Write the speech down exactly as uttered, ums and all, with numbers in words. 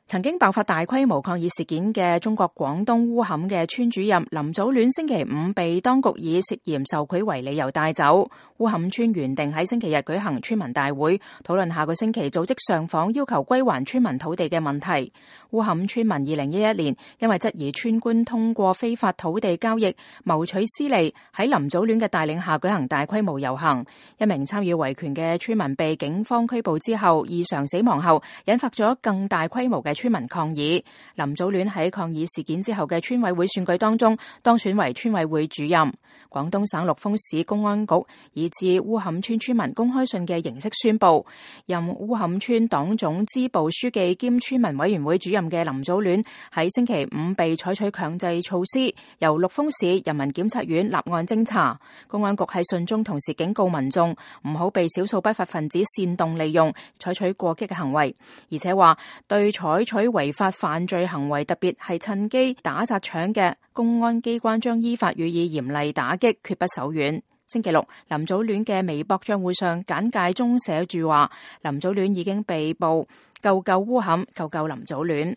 曾經爆發大規模抗議事件嘅中國廣東烏坎嘅村主任林祖戀星期五被當局以涉嫌受賄為理由帶走。烏坎村原定喺星期日舉行村民大會，討論下個星期組織上訪要求歸還村民土地嘅問題。烏坎村民二零一一年因為質疑村官通過非法土地交易謀取私利，喺林祖戀嘅帶領下舉行大規模遊行。一名參與維權嘅村民被警方拘捕之後異常死亡後，引發咗更大規模嘅村民抗議。林祖戀喺抗議事件之後嘅村委會選舉當中當選為村委會主任。廣東省陸豐市公安局以致烏坎村村民公開信嘅形式宣布，任烏坎村黨總支部書記兼村民委員會主任嘅林祖戀喺星期五被採取強制措施，由陸豐市人民檢察院立案偵查。公安局喺信中同時警告民眾唔好被少數不法分子煽動利用，採取過激嘅行為，而且話對採取違法犯罪行為，特別係趁機打砸搶嘅公安機關將依法予以嚴厲打擊，決不手軟。星期六，林祖戀嘅微博賬戶上簡介中寫住話，林祖戀已經被捕，救救烏坎，救救林祖戀。